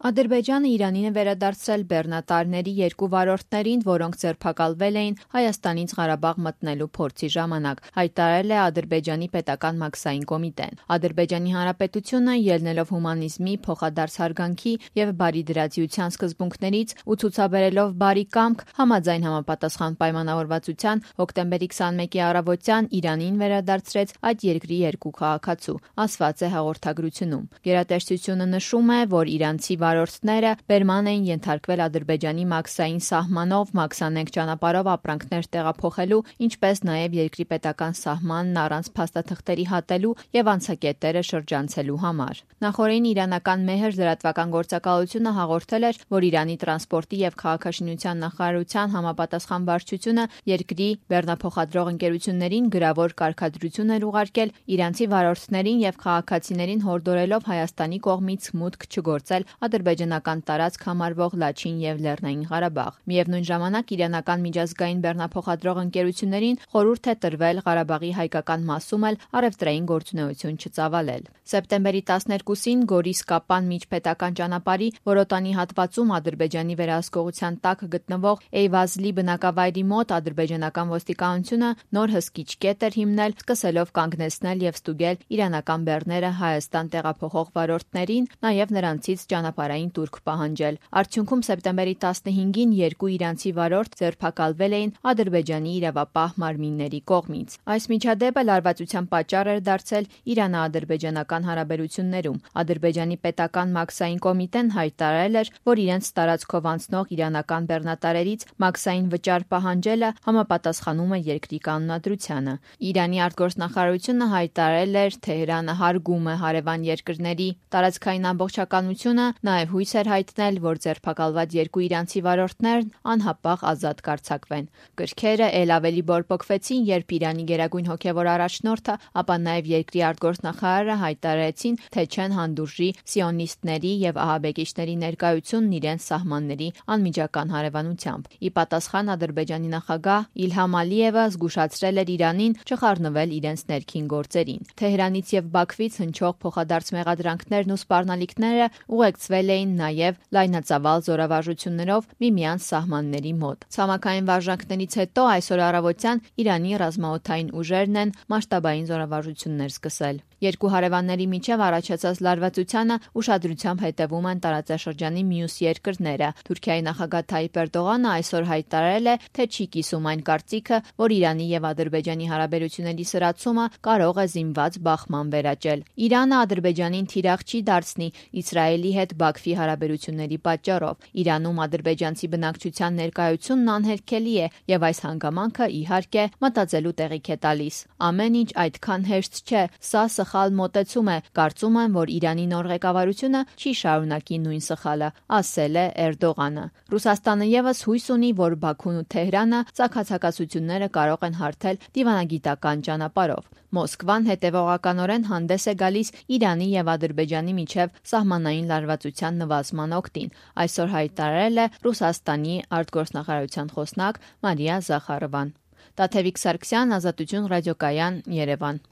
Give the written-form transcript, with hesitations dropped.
Ադրբեջանը Իրանին է վերադարձրել բեռնատարների 2 վարորդներին, որոնք ձերբակալվել էին Հայաստանից Ղարաբաղ մտնելու փորձի ժամանակ, հայտարարել է Ադրբեջանի պետական մաքսային կոմիտեն։ Ադրբեջանի Հանրապետությունը, ելնելով հումանիզմի, փոխադարձ հարգանքի եւ բարիդրացիության սկզբունքներից ու ցուցաբերելով բարի կամք, համաձայն համապատասխան պայմանավորվածության հոկտեմբերի 21-ի առավոտյան Իրանին վերադարձրեց այդ երկրի 2 քաղաքացու, ասված է հաղորդագրությունում։ Գերատեսչությունը նշում է, որ իրանցի վարորդները բերման էին ենթարկվել Ադրբեջանի մաքսային սահմանով մաքսանենգ ճանապարհով ապրանքներ տեղափոխելու, ինչպես նաև երկրի պետական սահմանն առանց փաստաթղթերի հատելու եւ անցակետերը շրջանցելու համար։ Նախորդին իրանական Մեհր լրատվական գործակալությունը հաղորդել էր, որ Իրանի տրանսպորտի եւ քաղաքաշինության նախարարության համապատասխան վարչությունը երկրի բեռնափոխադրող ընկերություններին գրավոր կարգադրություն էր ուղարկել իրանցի վարորդներին եւ քաղաքացիներին հորդորելով Հայաստանի կողմից մուտք չգործել ադրբեջանական տարածք համարվող Լաչին եւ Լեռնային Ղարաբաղ։ Միևնույն ժամանակ իրանական միջազգային բեռնափոխադրող ընկերություններին խորհուրդ է տրվել Ղարաբաղի հայկական մասում էլ առևտրային գործունեություն չծավալել։ Սեպտեմբերի 12-ին Գորիս-Կապան միջպետական ճանապարհի Որոտանի հատվածում Ադրբեջանի վերահսկողության տակ գտնվող Էյվազլի բնակավայրի մոտ ադրբեջանական ոստիկանությունը նոր հսկիչ կետ էր հիմնել, սկսելով կանգնեցնել եւ ստուգել իրանական բեռները Հայաստան տեղափոխող վարորդներին, նաեւ նրանցից ճանապարհային տուրք պահանջել։ Արդյունքում սեպտեմբերի 15-ին 2 իրանցի վարորդ ձերբակալվել էին Ադրբեջանի իրավապահ մարմինների կողմից։ Այս միջադեպը լարվածության պատճառ էր դարձել Իրано-ադրբեջանական հարաբերություններում։ Ադրբեջանի պետական մաքսային կոմիտեն հայտարարել էր, որ իրենց տարածքով անցնող իրանական բեռնատարերից մաքսային վճար պահանջելը համապատասխանում է երկրի կանոնադրությանը։ Իրանի արտգործնախարարությունը հայտարարել էր Թեհրանը հարգում է հարևան երկրների տարածքային ամբողջականությունը, նաև հույս էր հայտնել, որ ձերբակալված 2 իրանցի վարորդներն անհապաղ ազատ կարձակվեն։ Կրքերը ել ավելի բորբոքվեցին, երբ Իրանի գերագույն հոգևոր առաջնորդը, ապա նաև երկրի արտգործնախարարը հայտարարեցին, թե չեն հանդուրժի սիոնիստների եւ ահաբեկիչների ներկայությունն իրենց սահմանների անմիջական հարևանությամբ։ Ի պատասխան Ադրբեջանի նախագահ Իլհամ Ալիևը զգուշացրել էր Իրանին չխառնվել իրենց ներքին գործերին։ Թեհրանից եւ Բաքվից հնչող փոխադարձ մեղադրանքներն ու սպառնալիքները ուղեկցվել էին նաև լայնածավալ զորավարժություններով միմյանց սահմանների մոտ։ Ցամաքային վարժանքներից հետո այսօր առավոտյան Իրանի ռազմաօդային ուժերն են մասշտաբային զորավարժություններ սկսել։ Երկու հարևանների միջև առաջացած լարվածությանը ուշադրությամբ հետևում են տարածաշրջանի մյուս երկրները։ Թուրքիայի նախագահ Թայիպ Էրդողանը այսօր հայտարարել է, թե չի կիսում այն կարծիքը, որ Իրանի եւ Ադրբեջանի հարաբերությունների սրացումը կարող է զինված բախման վերաճել։ Իրանը Ադրբեջանին թիրախ չի դարձնի Իսրայելի հետ Բաքվի հարաբերությունների պատճառով։ Իրանում ադրբեջանցի բնակչության ներկայությունն անհերքելի է եւ այս հանգամանքը իհարկե մտածելու տեղիք է տալիս։ Ամեն ինչ այդքան հեշտ չէ, սա սխալ մոտեցում է, կարծում եմ, որ Իրանի նոր ղեկավարությունը չի շարունակի նույն սխալը, ասել է Էրդողանը։ Ռուսաստանը եւս հույս ունի, որ Բաքուն ու Թեհրանը ցակացակացությունները կարող են հարթել դիվանագիտական ճանապարհով։ Մոսկվան հետևողականորեն հանդես է գալիս Իրանի եւ Ադրբեջանի միջև սահմանային լարվածության նվազման օգտին, այսօր հայտարարել է Ռուսաստանի արտգործնախարարության խոսնակ Մարիա Զախարովան։ Տաթևիկ Սարգսյան, Ազատություն ռադիոկայան, Երևան։